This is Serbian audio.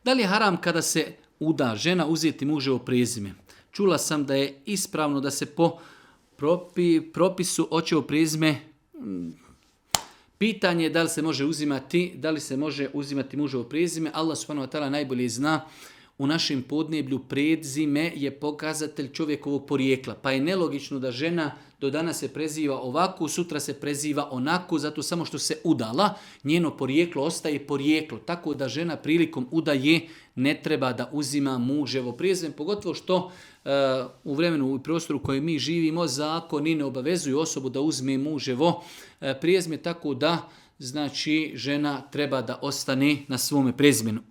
Da li je haram kada se uda žena uzeti muževo prezime? Čula sam da je ispravno da se po propisu očevo prezime, pitanje je da li se može uzimati muževo prezime. Allah subhanahu wa ta'ala najbolje zna. U našem podneblju prezime je pokazatelj čovjekovog porijekla. Pa je nelogično da žena do danas se preziva ovako, sutra se preziva onako, zato samo što se udala, njeno porijeklo ostaje porijeklo. Tako da žena prilikom udaje ne treba da uzima muževo prezime, pogotovo što u vremenu i prostoru u kojem mi živimo zakoni ne obavezuju osobu da uzme muževo prezime, tako da znači žena treba da ostane na svome prezimenu.